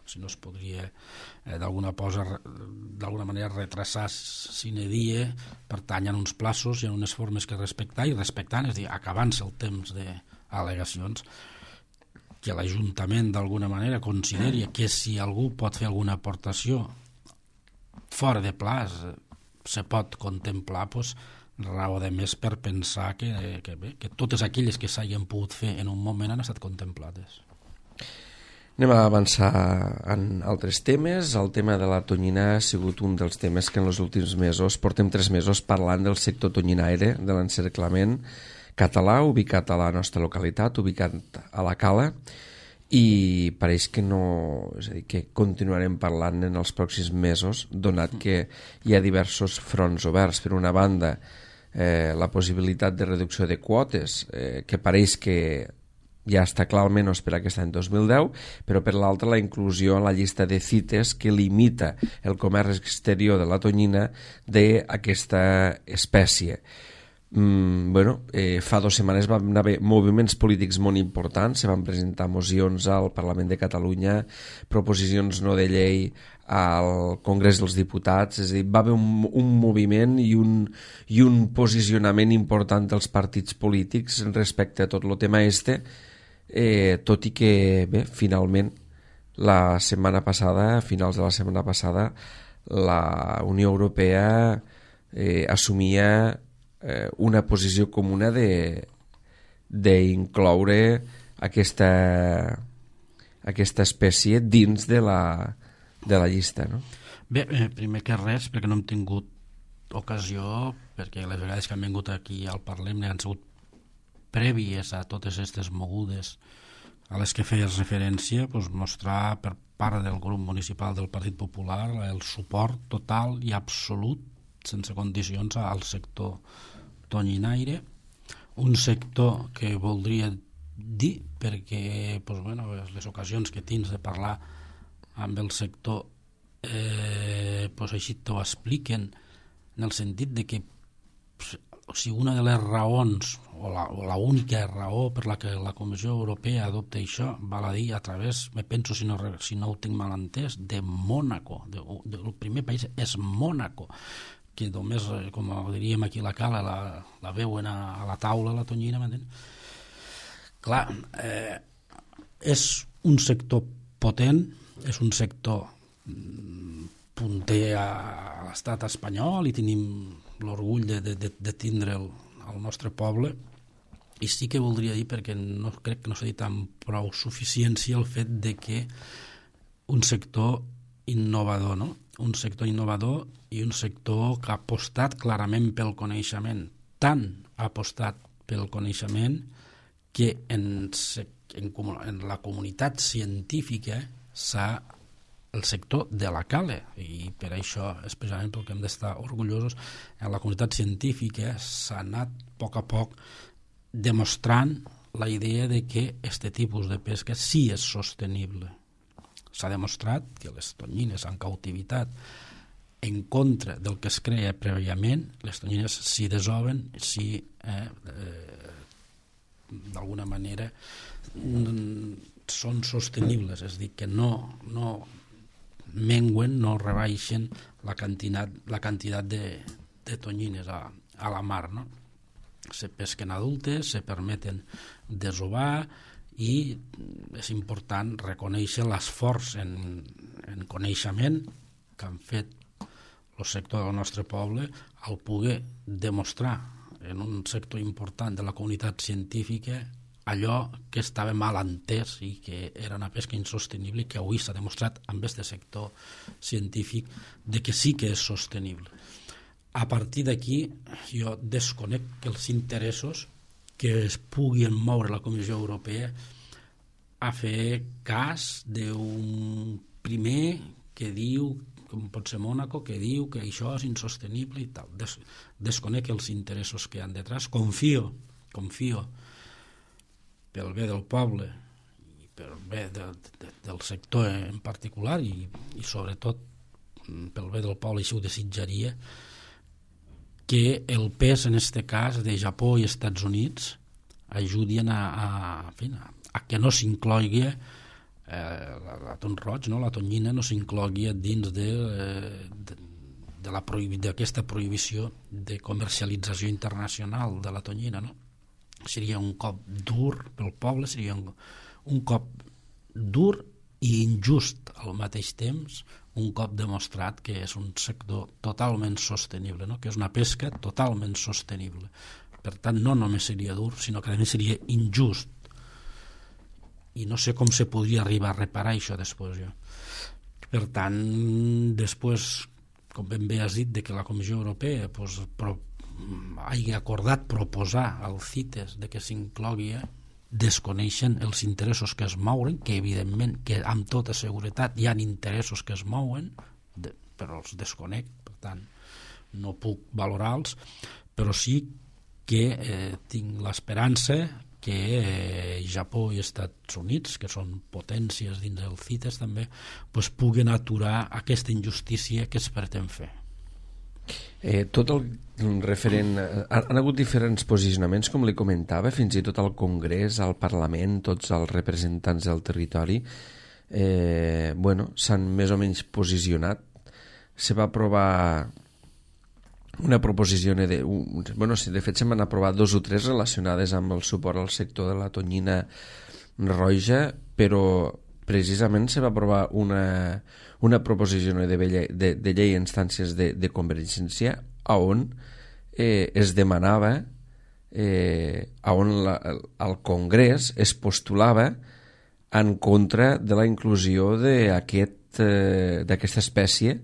si no es podria eh, d'alguna cosa, d'alguna manera retrasar sine die, pertanyen uns plaços i unes formes que respectar, i respectant, és a dir, acabant-se el temps d'al·legacions, que l'Ajuntament d'alguna manera consideri que si algú pot fer alguna aportació fora de plaç se pot contemplar, doncs, raó de més per pensar que, que, bé, que totes aquelles que s'hagin pogut fer en un moment han estat contemplades. Anem a avançar en altres temes. El tema de la tonyina ha sigut un dels temes que en els últims mesos, portem tres mesos parlant del sector tonyinaire, de l'encerclament català, ubicat a la nostra localitat, ubicat a la Cala, i pareix que no, és a dir, que continuarem parlant en els pròxims mesos, donat que hi ha diversos fronts oberts. Per una banda, eh, la possibilitat de reducció de quotes, eh, que pareix que ja està clar almenys per aquest any dos mil deu, però per l'altra la inclusió en la llista de cites que limita el comerç exterior de la tonyina d'aquesta espècie. Mm, bueno, eh, fa dues setmanes van haver moviments polítics molt importants, se van presentar mocions al Parlament de Catalunya, proposicions no de llei al Congrés dels Diputats, és a dir, va haver un, un moviment i un, i un posicionament important dels partits polítics respecte a tot el tema este, eh, tot i que, bé, finalment, la setmana passada, a finals de la setmana passada, la Unió Europea eh, assumia una posició comuna d'incloure aquesta, aquesta espècie dins de la, de la llista, no? Bé, eh, primer que res, perquè no hem tingut ocasió, perquè les vegades que han vingut aquí al Parlament han sigut prèvies a totes aquestes mogudes a les que feies referència, doncs mostrar per part del grup municipal del Partit Popular el suport total i absolut, sense condicions, al sector tonyinaire, un sector que voldria dir, perquè doncs, bueno, les ocasions que tens de parlar amb el sector, eh, pues així t'ho expliquen, en el sentit de que o sigui, una de les raons o la, o la única raó per la que la Comissió Europea adopta això val a dir a través, me penso si no, si no ho tinc mal entès, de Mònaco, de, de, el primer país és Mònaco, que només, com diríem aquí a la cala, la, la veuen a, a la taula, la tonyina, m'entén? Clar, eh, és un sector potent, és un sector punter a l'estat espanyol i tenim l'orgull de, de, de tindre el, el nostre poble, i sí que voldria dir, perquè no, crec que no s'ha dit amb prou suficiència, el fet de que un sector innovador, no? Un sector innovador i un sector que ha apostat clarament pel coneixement, tant ha apostat pel coneixement que en, en, en la comunitat científica s'ha el sector de la Cale, i per això és precisament pel que hem d'estar orgullosos. En la comunitat científica s'ha anat a poc a poc demostrant la idea de que aquest tipus de pesca sí és sostenible. S'ha demostrat que les tonyines en cautivitat, en contra del que es creia prèviament, les tonyines si desoven, si eh, eh, d'alguna manera són sostenibles, és a dir, que no, no menguen, no rebaixen la quantitat, la quantitat de, de tonyines a, a la mar, no? Se pesquen adultes, se permeten desovar, i és important reconèixer l'esforç en, en coneixement que han fet el sector del nostre poble al poder demostrar en un sector important de la comunitat científica allò que estava mal entès i que era una pesca insostenible, i que avui s'ha demostrat amb aquest sector científic de que sí que és sostenible. A partir d'aquí jo desconec els interessos que es puguin moure la Comissió Europea a fer cas d'un primer que diu, com pot ser Mònaco, que diu que això és insostenible i tal. Des, desconec els interessos que hi ha detrás. Confio, confio pel bé del poble i pel bé de, de, del sector en particular, i, i sobretot pel bé del poble, i si ho desitjaria, que el pes en aquest cas de Japó i Estats Units ajudin a, a, a, a que no s'inclogui eh, l'atún roig, no? La tonyina no s'inclogui dins de, de, de la prohibi, d'aquesta prohibició de comercialització internacional de la tonyina, no? Seria un cop dur pel poble, seria un, un cop dur i injust al mateix temps, un cop demostrat que és un sector totalment sostenible, no? Que és una pesca totalment sostenible. Per tant, no només seria dur, sinó que a més seria injust. I no sé com se podria arribar a reparar això després, jo. Per tant, després, com ben bé has dit, de que la Comissió Europea pues, pro, hagi acordat proposar al CITES de que s'inclogui, desconeixen els interessos que es mouen, que evidentment, que amb tota seguretat hi ha interessos que es mouen, de, però els desconec, per tant no puc valorar-los, però sí que eh, tinc l'esperança que eh, Japó i Estats Units, que són potències dins del CITES també, pues, puguen aturar aquesta injustícia que es pretén fer. Eh, tot el referent... Han hagut diferents posicionaments, com li comentava, fins i tot al Congrés, al Parlament, tots els representants del territori eh, bueno, s'han més o menys posicionat. Se va aprovar una proposició de... Un, bueno, de fet se van aprovar dos o tres relacionades amb el suport al sector de la tonyina roja, però precisament se va aprovar una, una proposició de, de, de llei a instàncies de, de Convergència on eh, es demanava eh, on la, el Congrés es postulava en contra de la inclusió d'aquest, eh, d'aquesta espècie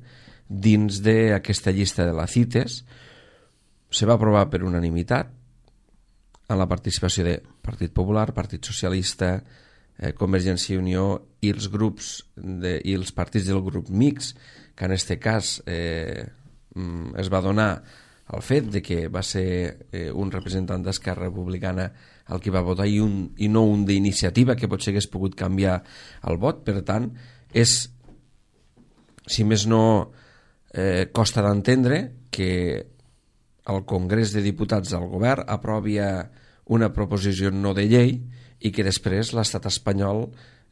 dins d'aquesta llista de la CITES. Se va aprovar per unanimitat amb la participació de Partit Popular, Partit Socialista, eh, Convergència i Unió i els grups de, i els partits del grup mixt, que en aquest cas eh, es va donar el fet de que va ser eh, un representant d'Esquerra Republicana el que va votar i, un, i no un d'iniciativa, que potser hagués pogut canviar el vot. Per tant, és si més no, eh, costa d'entendre que el Congrés de Diputats del Govern aprovi una proposició no de llei i que després l'estat espanyol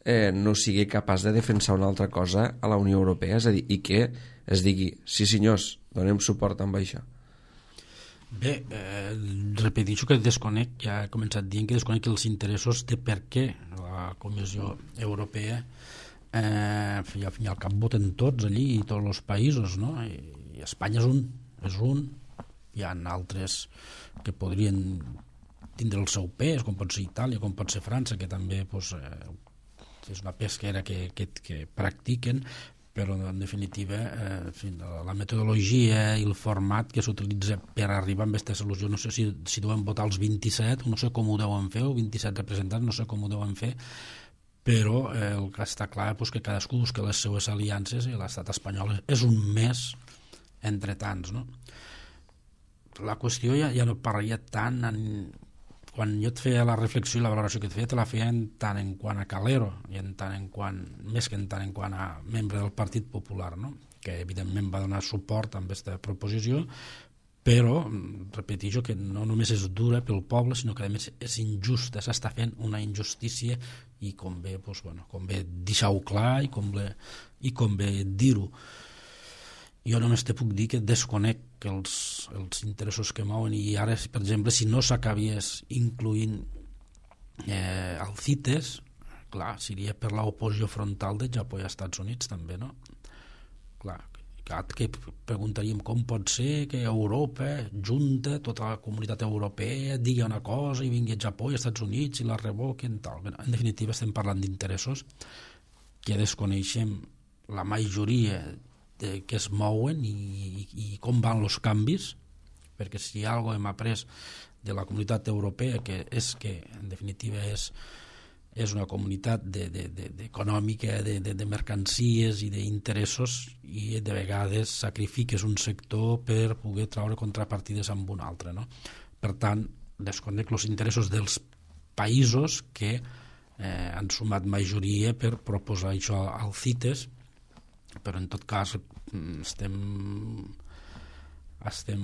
eh, no sigui capaç de defensar una altra cosa a la Unió Europea, és a dir, i que es digui, sí senyors, donem suport amb això. Bé, eh, repeteixo que desconec, ja he començat dient que desconec els interessos de per què la Comissió Europea eh, i al fin i al cap voten tots allí i tots els països, no? I, i Espanya és un, és un, hi ha altres que podrien tindre el seu pes, com pot ser Itàlia, com pot ser França, que també pues, eh, és una pesquera que, que, que practiquen, però en definitiva eh, la metodologia i el format que s'utilitza per arribar a aquesta solució, no sé si, si deuen votar els vint-i-set, no sé com ho deuen fer, o vint-i-set representants, no sé com ho deuen fer, però eh, el que està clar és que cadascú busca les seues aliances i l'estat espanyol és un més entre tants, no? La qüestió ja, ja no parlaria tant en, quan jo et feia la reflexió i la valoració que et feia, te la feia en tant en quant a Calero i en tant en quant, més que en tant en quant a membre del Partit Popular, no? Que evidentment va donar suport a aquesta proposició, però repeteixo que no només és dura pel poble, sinó que a més és injusta, s'està fent una injustícia i convé, doncs, bueno, convé deixar-ho clar i convé, i convé dir-ho. Jo només te puc dir que desconec els, els interessos que mouen i ara, per exemple, si no s'acabies incluint eh, el CITES, clar, seria per l'oposició frontal de Japó i Estats Units també, no? Clar, que preguntaríem com pot ser que Europa junta tota la comunitat europea, digui una cosa i vingui a Japó i Estats Units i la revoquen, tal. En definitiva estem parlant d'interessos que desconeixem la majoria de que es mouen i, i, i com van els canvis, perquè si hi ha alguna cosa hem après de la comunitat europea, que és que en definitiva és, és una comunitat de, de, de, de econòmica, de, de, de mercancies i d'interessos, i de vegades sacrifiques un sector per poder treure contrapartides amb un altre, no? Per tant, desconec els interessos dels països que eh, han sumat majoria per proposar això al CITES, però en tot cas estem estem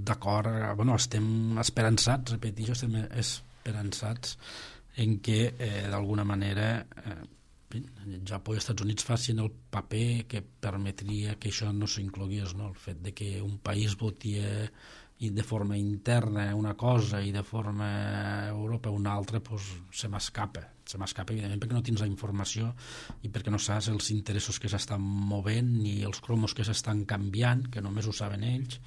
d'acord, bueno, estem esperançats, repeteixo, estem esperançats en què eh, d'alguna manera eh, Japó i Estats Units facin el paper que permetria que això no s'inclogués, no? El fet de que un país voti de forma interna una cosa i de forma Europa una altra, pues, se m'escapa se m'escapa evidentment perquè no tens la informació i perquè no saps els interessos que s'estan movent ni els cromos que s'estan canviant, que només ho saben ells.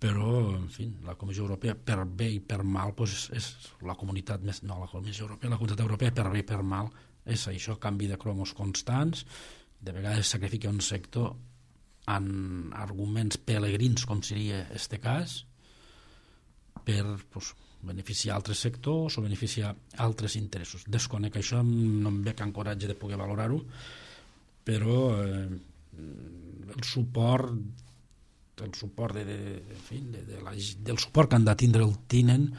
Però, en fi, la Comissió Europea, per bé i per mal, pues, és la comunitat més... No, la Comissió Europea, la comunitat europea, per bé i per mal, és això, canvi de cromos constants, de vegades sacrifica un sector en arguments pelegrins, com seria este cas, per, pues, beneficiar altres sectors o beneficiar altres interessos. Desconec això, no em veig amb coratge de poder valorar-ho, però eh, el suport el suport de, de, en fi, de, de la, del suport que han de tindre el tinen,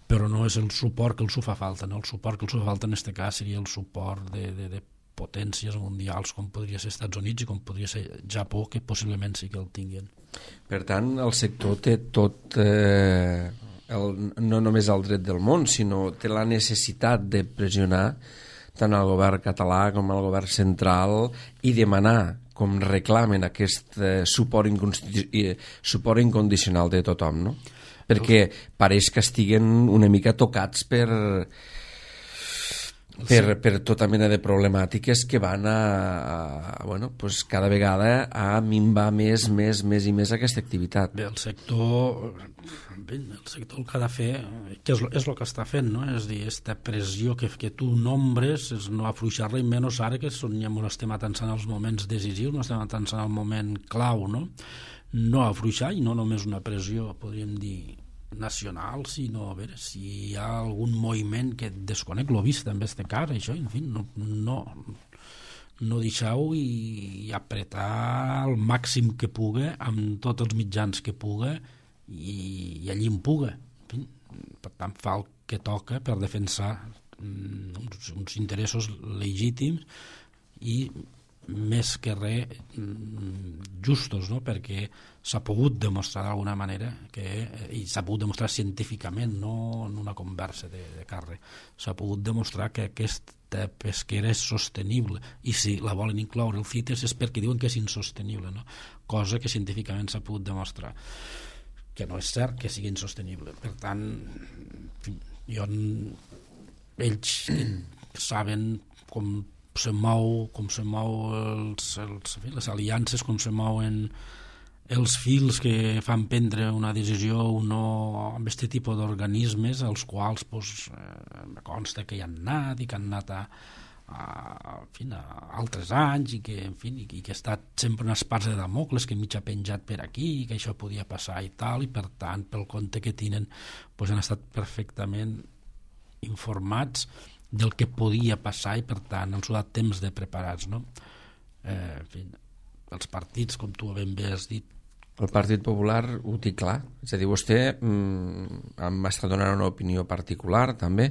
però no és el suport que els fa falta, no? El suport que els fa falta en aquest cas seria el suport de, de, de potències mundials com podria ser Estats Units i com podria ser Japó, que possiblement sí que el tinguin. Per tant, el sector té tot, eh, el, no només el dret del món, sinó té la necessitat de pressionar tant al govern català com al govern central i demanar, com reclamen, aquest eh, suport, suport incondicional de tothom, no? Perquè pareix que estiguen una mica tocats per... Per, per tota mena de problemàtiques que van a, a bueno, pues cada vegada a minvar més, més, més i més aquesta activitat. Bé, el sector, bé, el sector el que ha de fer, que és, és el que està fent, no? És dir, aquesta pressió que, que tu nombres, és no afluixar-la, i menys ara que són, ja estem atençant els moments decisius, no estem atençant el moment clau, no? No afluixar, i no només una pressió, podríem dir, nacional, sinó a veure si hi ha algun moviment que desconec, l'ho vist també este cas, això, en fi, no, no, no deixar-ho i, i apretar el màxim que puga amb tots els mitjans que puga i, i allí en puga, en fi, per tant fa el que toca per defensar uns, uns interessos legítims i més que res justos, no? Perquè s'ha pogut demostrar d'alguna manera que, i s'ha pogut demostrar científicament, no en una conversa de, de carrer, s'ha pogut demostrar que aquesta pesquera és sostenible, i si la volen incloure el CITES és perquè diuen que és insostenible, no? Cosa que científicament s'ha pogut demostrar que no és cert que sigui insostenible. Per tant, jo, ells saben com se mou, com se mou els, els, les aliances, com se mouen els fils que fan prendre una decisió o no amb aquest tipus d'organismes, als quals pues, eh, me consta que hi han anat i que han anat a, a, en fi, a altres anys i que, en fi, i que ha estat sempre unes parts de Damocles que mig ha penjat per aquí i que això podia passar i tal, i per tant pel compte que tenen pues, han estat perfectament informats del que podia passar i per tant els ha dat temps de preparats, no? Eh, en fi, els partits, com tu ben bé has dit, el Partit Popular ho té clar, és a dir, vostè mm, em està donant una opinió particular també,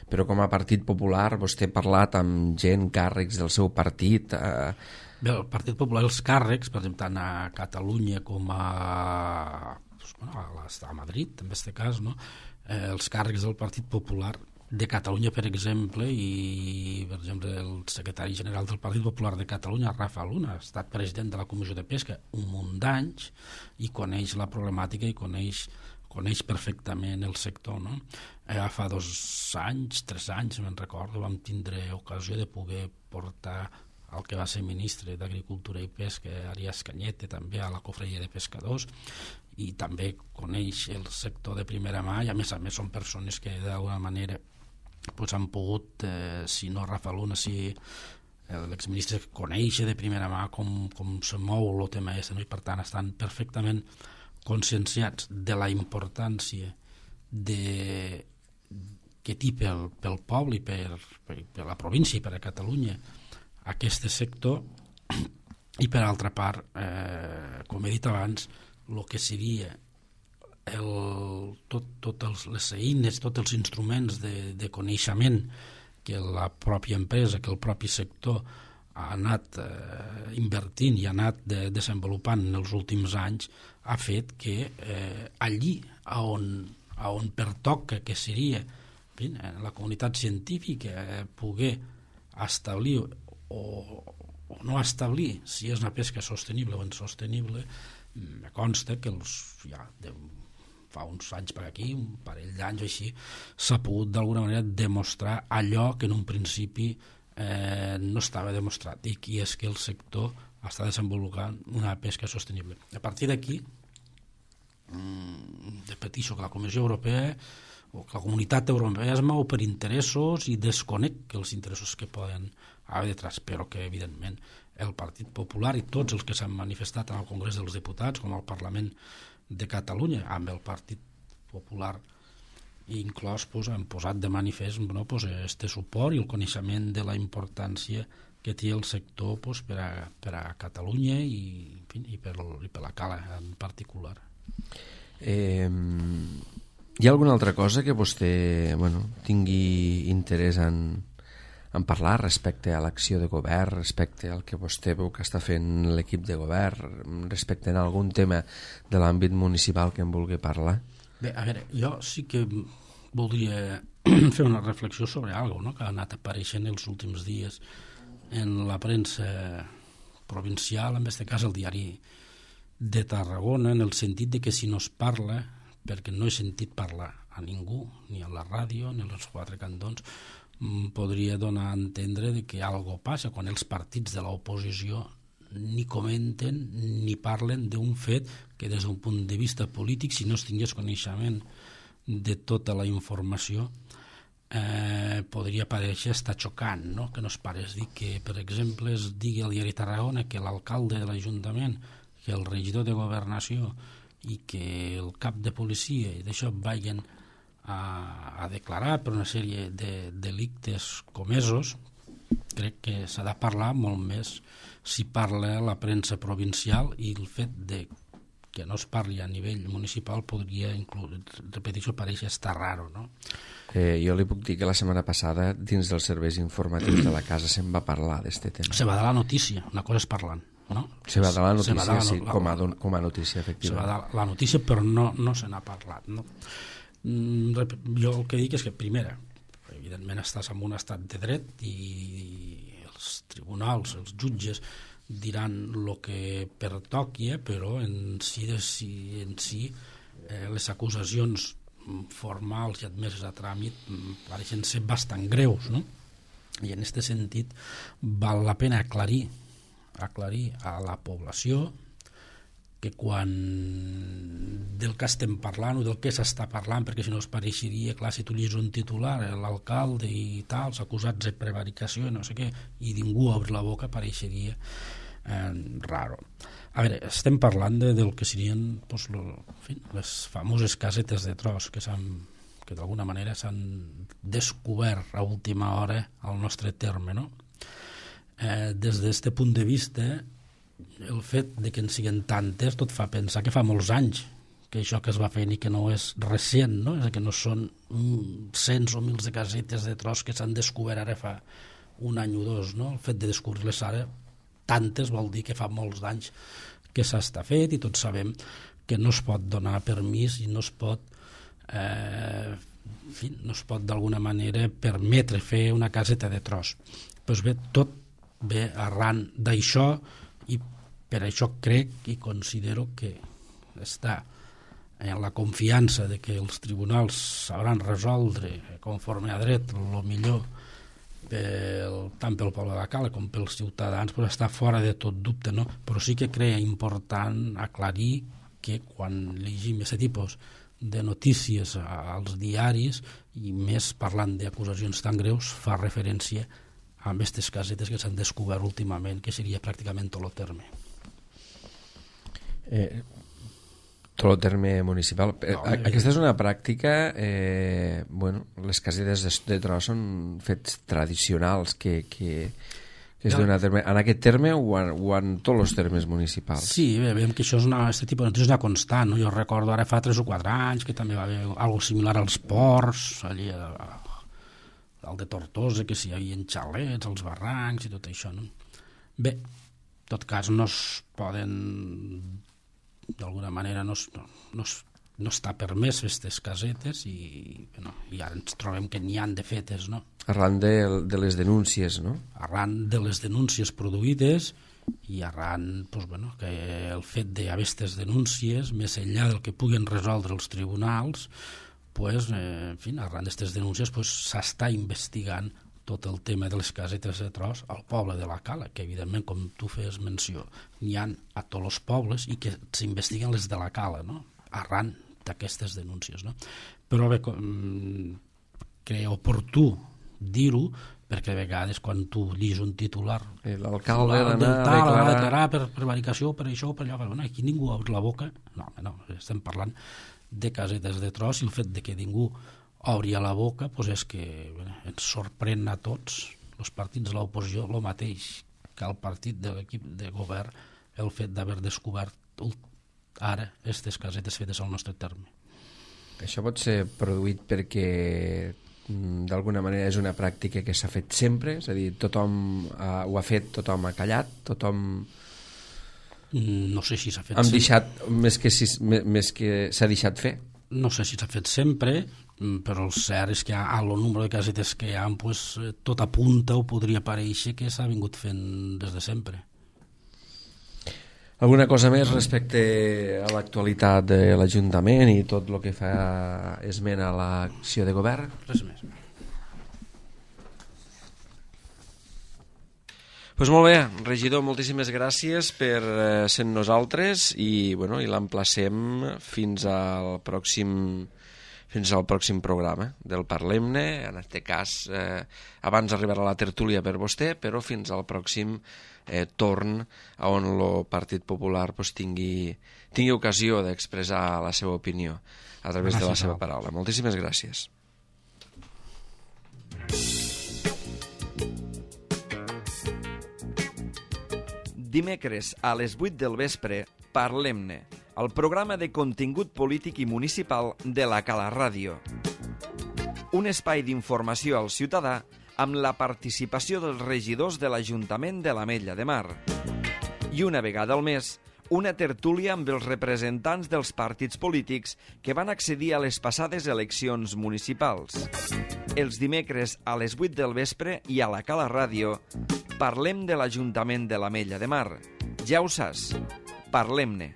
però com a Partit Popular vostè ha parlat amb gent, càrrecs del seu partit. Eh... Bé, el Partit Popular, els càrrecs, per exemple, tant a Catalunya com a, doncs, bueno, a, a Madrid, en aquest cas, no? eh, els càrrecs del Partit Popular de Catalunya, per exemple, i per exemple el secretari general del Partit Popular de Catalunya, Rafa Luna, ha estat president de la Comissió de Pesca un munt d'anys i coneix la problemàtica i coneix, coneix perfectament el sector, no? Eh, fa dos anys, tres anys, me'n recordo, vam tindre ocasió de poder portar el que va ser ministre d'Agricultura i Pesca, Arias Cañete, també a la Cofreria de Pescadors, i també coneix el sector de primera mà, i a més a més són persones que d'alguna manera pues han pogut, eh, si no Rafa Luna, si l'exministre coneix de primera mà com, com se mou el tema aquest, no? I per tant estan perfectament conscienciats de la importància de, que té pel, pel poble i per, per, per la província i per a Catalunya aquest sector, i per altra part, eh, com he dit abans, el que seria el, tot, tot els, les eines, tots els instruments de, de coneixement que la pròpia empresa, que el propi sector ha anat eh, invertint i ha anat de, desenvolupant en els últims anys, ha fet que eh, allí on, on pertoca, que seria en fi, la comunitat científica, eh, poder establir o, o no establir si és una pesca sostenible o insostenible, me consta que els, ja, de, fa uns anys per aquí, un parell d'anys així, s'ha pogut d'alguna manera demostrar allò que en un principi eh, no estava demostrat, i que és que el sector està desenvolupant una pesca sostenible. A partir d'aquí, repeteixo que la Comissió Europea o que la Comunitat Europea es mou per interessos i desconec els interessos que poden haver detrás, però que evidentment el Partit Popular i tots els que s'han manifestat en el Congrés dels Diputats com al Parlament de Catalunya amb el Partit Popular inclòs, pues, han posat de manifest no, pues, este suport i el coneixement de la importància que té el sector pues, per, a, per a Catalunya i, en fi, i, per, i per la Cala en particular. Eh, hi ha alguna altra cosa que vostè bueno, tingui interès en, en parlar respecte a l'acció de govern, respecte al que vostè veu que està fent l'equip de govern, respecte a algun tema de l'àmbit municipal que en vulgui parlar? Bé, a veure, jo sí que voldria fer una reflexió sobre alguna cosa, no?, que ha anat apareixent els últims dies en la premsa provincial, en aquest cas el diari de Tarragona, en el sentit de que si no es parla, perquè no he sentit parlar a ningú, ni a la ràdio, ni als quatre cantons, podria donar a entendre de que algo passa quan els partits de l'oposició ni comenten ni parlen d'un fet que des d'un punt de vista polític, si no es tingués coneixement de tota la informació, eh, podria parèixer estar xocant, no? Que no es parés dir que, per exemple, es digui al diari Tarragona que l'alcalde de l'Ajuntament, que el regidor de Governació i que el cap de policia i d'això vagin a, a declarar per una sèrie de delictes comesos. Crec que s'ha de parlar molt més si parla la premsa provincial, i el fet de que no es parli a nivell municipal podria, inclús, repeteixo, pareix estar raro, no? Eh, jo li puc dir que la setmana passada, dins dels serveis informatius de la casa, se'n va parlar d'aquest tema. Se va dar la notícia, una cosa és parlant, no? Se va dar la notícia, la, sí, la, com a, com a notícia, efectivament. Se va dar la notícia, però no, no se n'ha parlat, no? Jo el que dic és que, primera, evidentment estàs en un estat de dret i els tribunals, els jutges, diran el que pertoqui, eh, però en si, de, si, en si eh, les acusacions formals i admeses a tràmit pareixen ser bastant greus, no? I en aquest sentit val la pena aclarir, aclarir a la població que quan del que estem parlant o del que s'està parlant, perquè si no es pareixeria, clar, si tu llegis un titular, l'alcalde i tal, acusats de prevaricació i no sé què, i ningú obre la boca, pareixeria eh, raro. A veure, estem parlant de, del que serien pues, lo, en fi, les famoses casetes de tros que s'han que d'alguna manera s'han descobert a última hora al nostre terme, no? Eh, des d'aquest punt de vista, el fet de que en siguin tantes tot fa pensar que fa molts anys que això que es va fent i que no és recent, no? És que no són cents o mils de casetes de tros que s'han descobert ara fa un any o dos, no? El fet de descobrir-les ara tantes vol dir que fa molts anys que s'està fet i tots sabem que no es pot donar permís i no es pot eh, en fi, no es pot d'alguna manera permetre fer una caseta de tros. Doncs bé, tot ve arran d'això i per això crec i considero que està en la confiança de que els tribunals sabran resoldre conforme a dret el millor pel, tant pel poble de la Cala com pels ciutadans, però està fora de tot dubte, no? Però sí que crec important aclarir que quan llegim aquest tipus de notícies als diaris i més parlant d'acusacions tan greus fa referència a aquestes casetes que s'han descobert últimament, que seria pràcticament tot el terme. Eh, tot el terme municipal. No, eh, Aquesta és una pràctica, eh, bueno, les casetes de, de tros són fets tradicionals que, que, que es no. donen a terme. En aquest terme o en, o en tots els termes municipals? Sí, bé, veiem que això és una, aquest tipus de notícies és una constant, no? Jo recordo ara fa tres o quatre anys que també va haver alguna similar als ports, allà a el de Tortosa, que si hi havia xalets, els barrancs i tot això, no? Bé, en tot cas no es poden, d'alguna manera no, es, no, no, es, no està permès aquestes casetes i, bueno, i ara ens trobem que n'hi han de fetes, no? Arran de, de les denúncies, no? Arran de les denúncies produïdes i arran, pues, bueno, que el fet d'aquestes denúncies, més enllà del que puguen resoldre els tribunals, pues, eh, en fi, arran d'aquestes denúncies pues, s'està investigant tot el tema de les casetes de tros al poble de la Cala, que evidentment, com tu feies menció, n'hi ha a tots els pobles i que s'investiguen les de la Cala, no? Arran d'aquestes denúncies, no? Però bé, crec oportú dir-ho, perquè a vegades quan tu llis un titular l'alcalde d'anar a declarar... declarar per prevaricació, per això, per allò, bueno, aquí ningú obre la boca, no, no, estem parlant de casetes de tros i el fet de que ningú obri la boca pues és que bueno, ens sorprèn a tots els partits de l'oposició el mateix que el partit de l'equip de govern el fet d'haver descobert ara aquestes casetes fetes al nostre terme. Això pot ser produït perquè d'alguna manera és una pràctica que s'ha fet sempre, és a dir, tothom uh, ho ha fet, tothom ha callat, tothom... No sé si s'ha fet Hem deixat, més que, si, més que s'ha deixat fer? No sé si s'ha fet sempre, però el cert és que a el nombre de casetes que hi ha, pues, tot apunta o podria parèixer que s'ha vingut fent des de sempre. Alguna cosa més respecte a l'actualitat de l'Ajuntament i tot el que fa esment a l'acció de govern? Res més. Pues molt bé, regidor, moltíssimes gràcies per eh, ser nosaltres i, bueno, i l'emplacem fins al pròxim fins al pròxim programa del Parlem-ne, en aquest cas eh, abans arribarà la tertúlia per vostè, però fins al pròxim eh, torn on el Partit Popular pues, tingui, tingui ocasió d'expressar la seva opinió a través gràcies de la seva paraula. Moltíssimes gràcies. Dimecres a les vuit del vespre, Parlem-ne, el programa de contingut polític i municipal de la Cala Ràdio. Un espai d'informació al ciutadà amb la participació dels regidors de l'Ajuntament de l'Ametlla de Mar. I una vegada al mes, una tertúlia amb els representants dels partits polítics que van accedir a les passades eleccions municipals. Els dimecres a les vuit del vespre i a la Cala Ràdio parlem de l'Ajuntament de l'Ametlla de Mar. Ja ho saps, parlem-ne.